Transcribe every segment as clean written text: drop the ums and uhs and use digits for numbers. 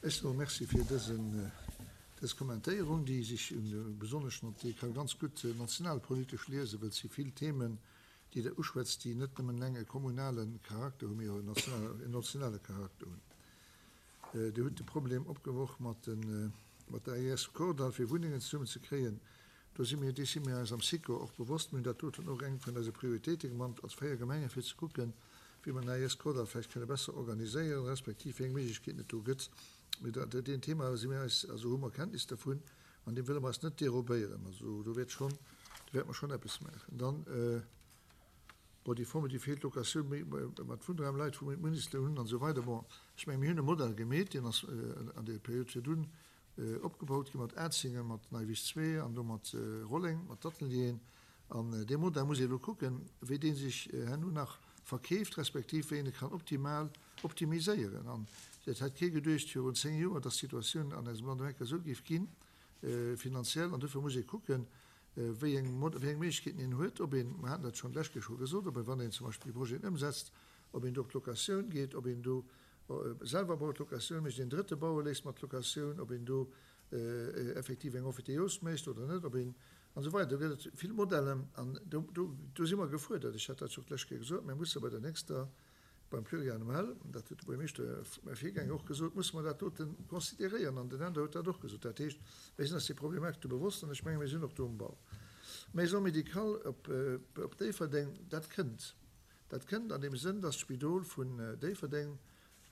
Ech soe Merci fir dësen, dës Kommentéierung, déi sech besonnesch mat, déi ka ganz gutt nationalpolitesch liesen, well et si vill Themen, déi Der uschwätzt, déi net nëmmen eleng e kommunale Charakter hunn, mee och en nationale Charakter hunn. Dir hutt de Problem opgeworf mat de, mat der AIS Kordall, fir Wunnengen zesummen ze kréien. Do si mir, dees si mir eis am SICO och bewosst. Mir hunn dat doten och eng vun eise Prioritéite gemannt als 4 Gemengen, fir ze kucken, wéi mer den AIS Kordall vläicht kënne besser organiséieren, respektiv wéi eng Méiglechkeeten et do gëtt. Mee dat, deen Thema si mir eis, also hu mer Kenntnis dervun an deem wëlle mer eis net dérobéieren. Also do wäert schonn, do wäerte mer schonn eppes maachen. Dann, bon, déi Forme, déi feelt, Locatioun méi mat Wunnraum, Leit wou méi Mindestloun hunn an esou weider. Bon, ech menge mir hunn e Modell gemeet, deen ass an der Period virdun opgebaut gi mat Atzingen, mat Neiwiss 2 an do mat Rolleng, mat d'Atelieren. An dee Modell muss ee elo kucken, wéi dee sech herno nach verkeeft, respektiv wéi een e kann optimal optimiséieren. An et hätt kee geduecht virun 10 Joer, dass d'Situatioun an eisem Land eng Kéier esou géif ginn, finanziell. An dofir muss ee kucken, wéi eng wéi eng Méiglechkeeten een huet, ob een, mer haten dat schonn d'lescht Kéier scho gesot, ob een, wann een zum Beispill déi Projeten ëmsetzt, ob een do op d'Locatioun geet, ob een do selwer baut, Locatioun mécht, een Drëtte baue léisst mat Locatioun, ob een do effektiv eng Emphytéose mécht oder net, ob een, an esou weider. Do gëtt et vill Modellen an do, do, do si mer gefuerdert. Ech hat dat scho d'lescht Kéier gesot, mir musse bei der nächster, beim Pluriannuel, dat huet de Buergermeeschter, mäi Virgänger, och gesot, musse mer dat dote consideréieren an den Änder huet dat och gesot. Dat heescht, mir sinn eis déi Problematik do bewosst an ech menge mir sinn och do um Ball. Maison médicale op, op Déifferdeng, dat kënnt. Dat kënnt an deem Sënn, dass d'Spidol vun Déifferdeng,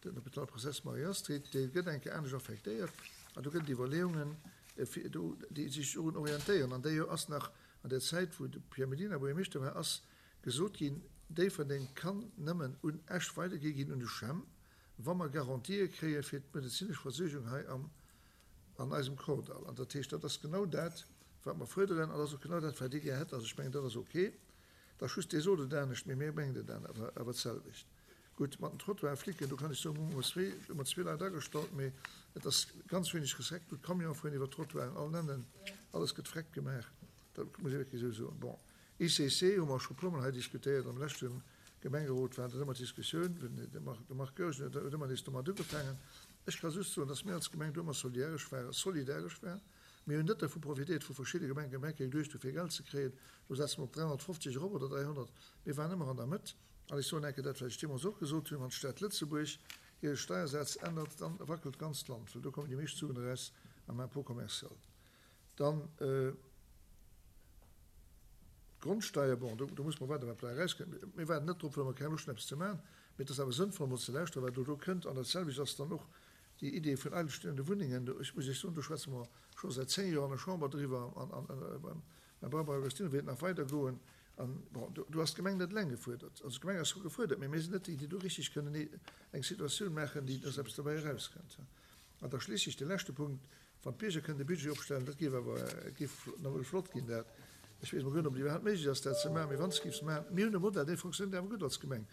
den Hôpital Princesse Marie-Astrid, dee gëtt eng Kéier anescht affektéiert an do gëtt et Iwwerleeungen, fir do, déi sech dorun orientéieren. An déi ass nach an der Zäit, wou de Pierre Mellina Buergermeeschter war, ass gesot ginn, Déifferdeng kann nëmmen un Esch weidergi ginn, un de CHEM, wa mer Garantië kréie fir d'medezinesch Versuergung hei am, an eisem Kordall. An dat heescht, dat ass genau dat, wat mer fuerderen an dat ass och genau dat, wat Dir gär hätt. Also ech mengen, dat ass ok. Da just Dir sot et anescht, mee mir mengen et awer d'selwecht. Gutt, mat den Trottoiren flicken, do kann ech soen, hu mer zwee, hu mer zwee Leit agestallt, mee et ass ganz wéineg Respekt do. D'Camionen fueren iwwer d'Trottoiren, all nennen, alles gëtt freck gemaach, dat muss ee wierklech esou soen. Bon, ICC hu mer scho puermol hei diskutéiert, am leschte Gemengerot war dat ëmmer d'Diskussioun, de Marc Goergen huet ëmmer nees domat ugefaangen. Ech ka just soen, dass mir als Gemeng do ëmmer soliäresch waren, solidaresch waren. Mir hunn net dervu profitéiert, vu verschidde Gemengen, Gemenge geduecht hu fir Geld ze kréien, lo setze mer op 350 erop oder 300. Mir waren ëmmer an der Mëtt. An ech soen eng Kéier dat, wat ech deemools och gesot hunn, Wann d'Stad Lëtzebuerg hire Steiersaz ännert, dann wackelt d'ganzt Land, well do kommen déi meescht Suen eraus am Impôt commercial. Dann d'Grondsteier, bon, do muss mer waarden, wat bäi erauskënnt. Mir waarden net drop, well mer keng Loscht hunn, eppes ze maachen, mee et ass awer sënnvoll, emol ze lauschteren, wat elo do kënnt. An dat selwecht ass dann och déi Idee vun eigenstehende Wunnengen. Ech muss Iech soen, do schwätze mer scho säit 10 Joer an der Chamber driwwer, an beim Barbara Agostino wäert et nach weidergoen. An, bon, do, do ass d'Gemeng net eleng gefuerdert. Also d'Gemeng ass scho gefuerdert, mee mir sinn net déi, déi do richtig kënnen eng Situatioun maachen, déi, dass eppes dobäi erauskënnt. An da schliisslech de leschte Punkt, Wann d'Bierger kënnen de Budget opstellen, dat géif awer, géif nawell flott ginn dat. Ech weess mol guer net, ob et iwwerhaapt méiglech ass, dat ze maachen, mee wann se géif se maachen, mir hunn e Modell, dee fonctionnéiert awer gutt als Gemeng.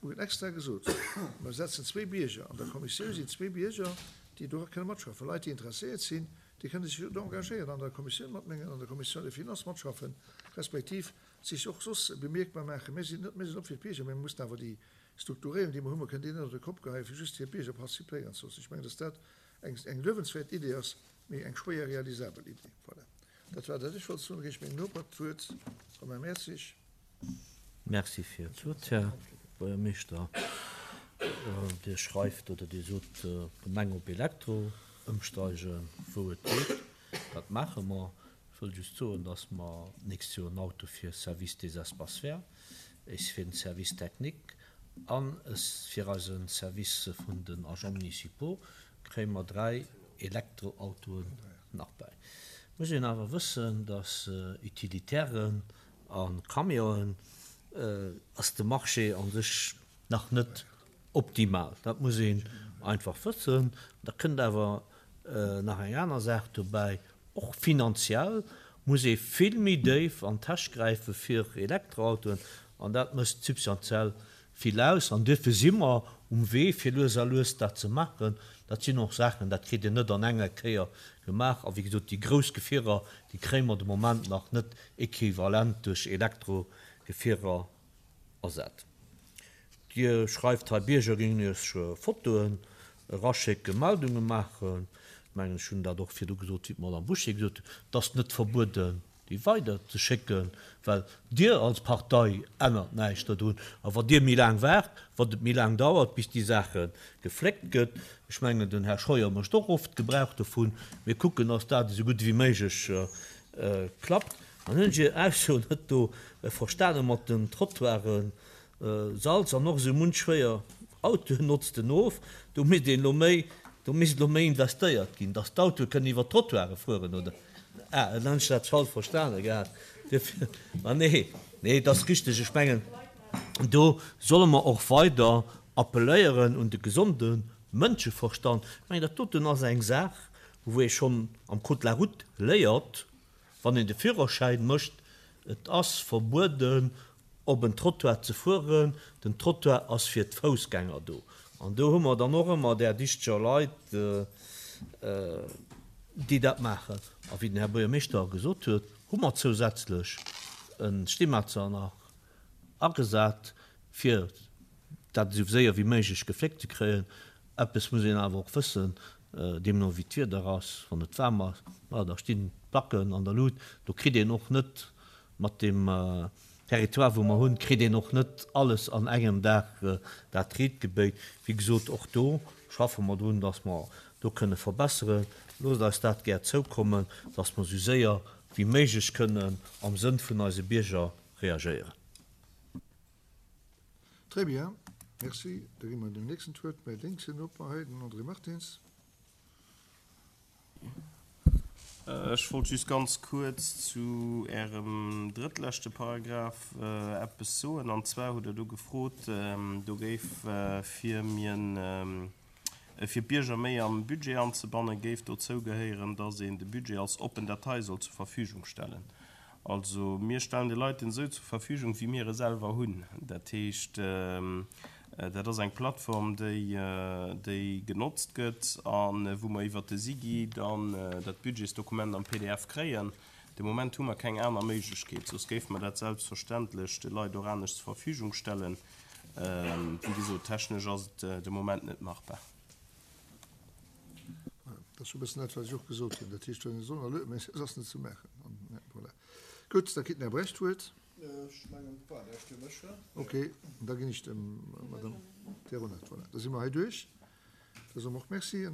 Mir hunn extra gesot, mer setzen zwee Bierger, an der Kommissioun sinn zwee Bierger, déi dora kënne matschaffen, Leit, déi interesséiert sinn, déi kënne sech do engagéieren, an der Kommissioun matmengen, an der Commission des Finances matschaffen, respektiv sech och soss bemierkbar maachen. Mir sinn net, mir sinn op fir d'Bierger, mee mir mussen awer déi Strukturéierung, déi mer hunn, mer kënnen déi net op de Kopp geheien, fir just fir d'Bierger participéieren ze loossen. Ech mengen, dass dat eng, eng luewenswäert Idee ass, mee eng schwéier realisabel Idee. Voilà, dat war dat ech wollt soen. Da ginn ech mengem Noper d'Wuert, Romain Mertzig. Merci fir d'Wuert, Här Buergermeeschter. Dir schreift oder Dir sot, d'Gemeng op Elektro ëmsteigen, wou et geet. Dat maache mer. Ech wëll just soen, dass mer d'nächst Joer en Auto fir Service des espaces verts, es fir den Service technique an es fir eise Service vun den Agents municipaux kréie mer 3 Elektroautoen nach bäi. Muss een awer wëssen, dass Utilitairen a Camionen ass de Marché a sech nach net optimal. Dat muss een einfach wëssen. Da kënnt awer nach eng aner Saach dobäi, Och finanziell muss ee vill méi déif an d'Täsch gräife fir Elektroautoen an dat mécht substantiell vill aus. An duerfir si mer um Wee fir lues a lues dat ze maachen. Dat sinn och Saachen, dat kritt een net an enger Kéier gemaach. A wéi gesot, déi grouss Gefierer, déi kréie mer de Moment nach net equivalent duerch Elektrogefierer ersat. Dir schreift hei, Bierger géingen Iech Fotoen. Eraschécken, Meldunge maachen. Ech mengen, ech hunn dat och virdu gesot, wéi d'Madame Bouché gesot huet, et ass net verbueden, déi weider ze schécken, well Dir als Partei ännert näischt dodrun. A wa Dir méi laang waart, wann et méi laang dauert, bis déi Saache gefléckt gëtt, ech mengen, den Här Scheuer mécht och oft Gebrauch dovun, mir kucken, dass dat esou gutt ewéi méiglech klappt. An hunn ech Är Ausso net do verstane mat den Trottoiren, Salz an och esou munch schwéier Autoen notzt en of. Do misst een elo méi, do misst elo méi investéiert ginn, datt d'Autoe kënnen iwwer d'Trottoire fueren, oder? Ah, dann hunn ech dat falsch verstane gehat. Duerfir, ma nee, nee, et ass richteg. Ech mengen, do solle mer och weider appelléieren un de gesonde Mënscheverstand. Ech mengen, dat doten ass eng Saach, wou ee schonn am Code de la route léiert, wann een de Führerschäin mécht, Et ass verbueden, op en Trottoir ze fueren, den Trottoir ass fir d'Foussgänger do. An do hu mer dann och ëmmer där dichteger Leit, déi dat maachen. A wéi den Här Buergermeeschter gesot huet, hu mer zousätzlech e Steemetzer nach agesat, fir dat esou séier wéi méiglech gefléckt ze kréien. Eppes muss een awer och wëssen, deemno wéi d'Wieder ass, wann et waarm ass, ma da stinn d'Placken an der Lut, do kritt een och net Mat deem Territoire, wou mer hunn, kritt een och net alles an engem Dag dat riit gebéit. Wéi gesot, och do schaffe mer drun, dass mer do kënne verbesseren. Loosst eis dat gär zoukommen, dass mer esou séier wéi méiglech kënnen am Sënn vun eise Bierger reagéieren. Très bien, merci. Da gi mer dem nächsten d'Wuert, mäi lénksen Noper hei, den André Martins. Ech wollt just ganz kuerz zu Ärem drëttleschte Paragraph eppes soen. An zwar hutt Der do gefrot, do géif, fir mien, fir d'Bierger méi am Budget anzebannen, géif dozou gehéieren, dass een de Budget als oppen Datei soll zur Verfügung stellen. Also mir stellen de Leit en esou zur Verfügung, wéi mir e selwer hunn. Dat heescht, dat ass eng Plattform, déi, déi genotzt gëtt a wou mer iwwert de SIGI dann dat Budgetsdokument am pdf kréien. De Moment hu mer keng aner Méiglechkeet, soss géife mer dat selbstverständlech de Leit och anescht zur Verfügung stellen. Wéi gesot, technesch ass et de Moment net machbar. Dat ass e bëssen dat, wat ech och gesot hunn. Dat heescht, wann ee soll erlueden, mä et ass net ze maachen. An voilà. Gutt, da kritt den Här Brecht d'Wuert. Ech mengen, et war näischt fir mech. Okay, da ginn ech dem Madame Deronat. Voilà, da si mer hei duerch. Da soe mer och Merci.